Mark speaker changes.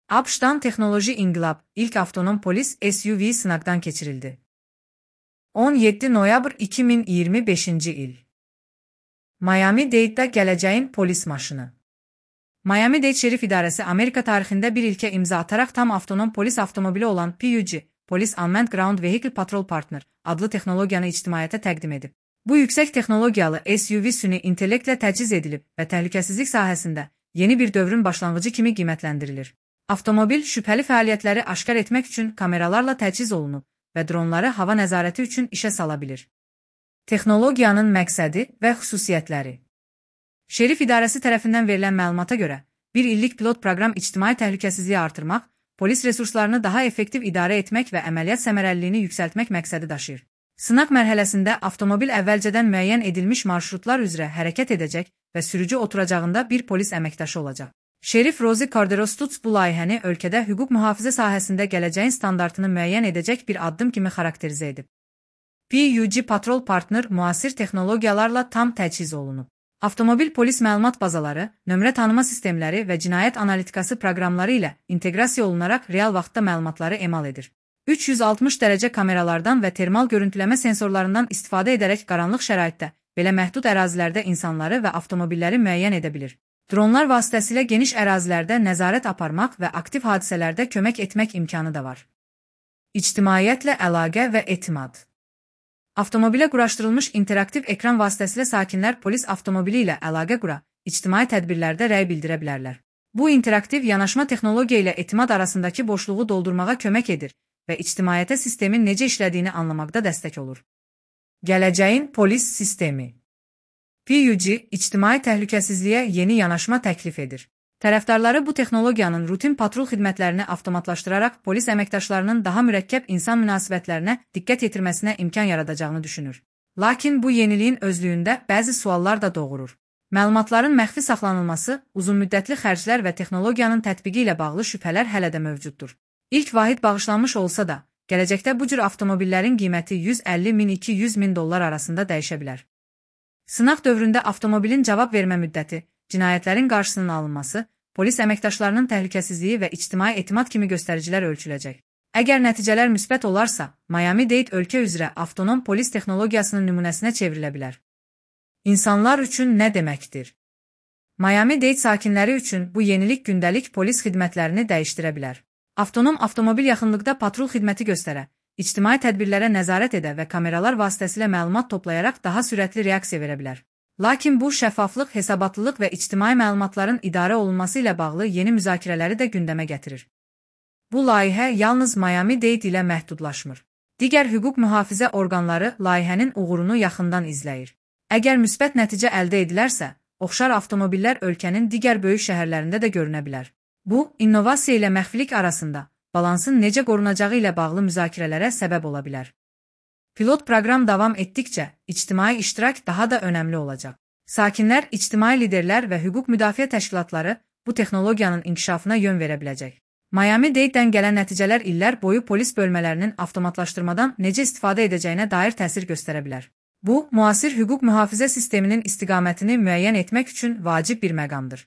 Speaker 1: ABŞ'dan Teknoloji İnqilab, ilk avtonom polis SUV sınaqdan keçirildi. 17 noyabr 2025-ci il. Miami-Dade'də gələcəyin polis maşını. Miami-Dade Şerif İdarəsi Amerika tarixində bir ilkə imza ataraq tam avtonom polis avtomobili olan PUG, Police Unmanned Ground Vehicle Patrol Partner adlı texnologiyanı ictimaiyyətə təqdim edib. Bu yüksək texnologiyalı SUV süni intellektlə təchiz edilib və təhlükəsizlik sahəsində yeni bir dövrün başlanğıcı kimi qiymətləndirilir. Avtomobil şübhəli fəaliyyətləri aşkar etmək üçün kameralarla təchiz olunub və dronları hava nəzarəti üçün işə sala bilir. Texnologiyanın məqsədi və xüsusiyyətləri. Şerif İdarəsi tərəfindən verilən məlumata görə, bir illik pilot proqram ictimai təhlükəsizliyi artırmaq, polis resurslarını daha effektiv idarə etmək və əməliyyat səmərəliliyini yüksəltmək məqsədi daşıyır. Sınaq mərhələsində avtomobil əvvəlcədən müəyyən edilmiş marşrutlar üzrə hərəkət edəcək və sürücü oturacağında bir polis əməkdaşı olacaq. Şerif Rosie Cordero-Stutz bu layihəni ölkədə hüquq mühafizə sahəsində gələcəyin standartını müəyyən edəcək bir addım kimi xarakterizə edib. PUG Patrol Partner müasir texnologiyalarla tam təchiz olunub. Avtomobil polis məlumat bazaları, nömrə tanıma sistemləri və cinayət analitikası proqramları ilə inteqrasiya olunaraq real vaxtda məlumatları emal edir. 360 dərəcə kameralardan və termal görüntüləmə sensorlarından istifadə edərək qaranlıq şəraitdə, belə məhdud ərazilərdə insanları və avtomobilləri müəyyən edə bilir. Dronlar vasitəsilə geniş ərazilərdə nəzarət aparmaq və aktiv hadisələrdə kömək etmək imkanı da var. İctimaiyyətlə əlaqə və etimad. Avtomobilə quraşdırılmış interaktiv ekran vasitəsilə sakinlər polis avtomobili ilə əlaqə qura, ictimai tədbirlərdə rəy bildirə bilərlər. Bu interaktiv yanaşma texnologiya ilə etimad arasındakı boşluğu doldurmağa kömək edir və ictimaiyyətə sistemin necə işlədiyini anlamaqda dəstək olur. Gələcəyin polis sistemi. PUG, ictimai təhlükəsizliyə yeni yanaşma təklif edir. Tərəfdarları bu texnologiyanın rutin patrul xidmətlərini avtomatlaşdıraraq polis əməkdaşlarının daha mürəkkəb insan münasibətlərinə diqqət yetirməsinə imkan yaradacağını düşünür. Lakin bu yeniliyin özlüyündə bəzi suallar da doğurur. Məlumatların məxfi saxlanılması, uzunmüddətli xərclər və texnologiyanın tətbiqi ilə bağlı şübhələr hələ də mövcuddur. İlk vahid bağışlanmış olsa da, gələcəkdə bu cür avtomobillərin qiyməti 150 min-200 min dollar arasında dəyişə bilər. Sınaq dövründə avtomobilin cavab vermə müddəti, cinayətlərin qarşısının alınması, polis əməkdaşlarının təhlükəsizliyi və ictimai etimad kimi göstəricilər ölçüləcək. Əgər nəticələr müsbət olarsa, Miami-Dade ölkə üzrə avtonom polis texnologiyasının nümunəsinə çevrilə bilər. İnsanlar üçün nə deməkdir? Miami-Dade sakinləri üçün bu yenilik gündəlik polis xidmətlərini dəyişdirə bilər. Avtonom avtomobil yaxınlıqda patrul xidməti göstərə, ictimai tədbirlərə nəzarət edə və kameralar vasitəsilə məlumat toplayaraq daha sürətli reaksiya verə bilər. Lakin bu şəffaflıq, hesabatlılıq və ictimai məlumatların idarə olunması ilə bağlı yeni müzakirələri də gündəmə gətirir. Bu layihə yalnız Miami-Dade ilə məhdudlaşmır. Digər hüquq mühafizə orqanları layihənin uğurunu yaxından izləyir. Əgər müsbət nəticə əldə edilərsə, oxşar avtomobillər ölkənin digər böyük şəhərlərində də görünə bilər. Bu, innovasiya ilə məxfilik arasında balansın necə qorunacağı ilə bağlı müzakirələrə səbəb ola bilər. Pilot proqram davam etdikcə, ictimai iştirak daha da önəmli olacaq. Sakinlər, ictimai liderlər və hüquq müdafiə təşkilatları bu texnologiyanın inkişafına yön verə biləcək. Miami-Dade'dən gələn nəticələr illər boyu polis bölmələrinin avtomatlaşdırmadan necə istifadə edəcəyinə dair təsir göstərə bilər. Bu, müasir hüquq mühafizə sisteminin istiqamətini müəyyən etmək üçün vacib bir məqamdır.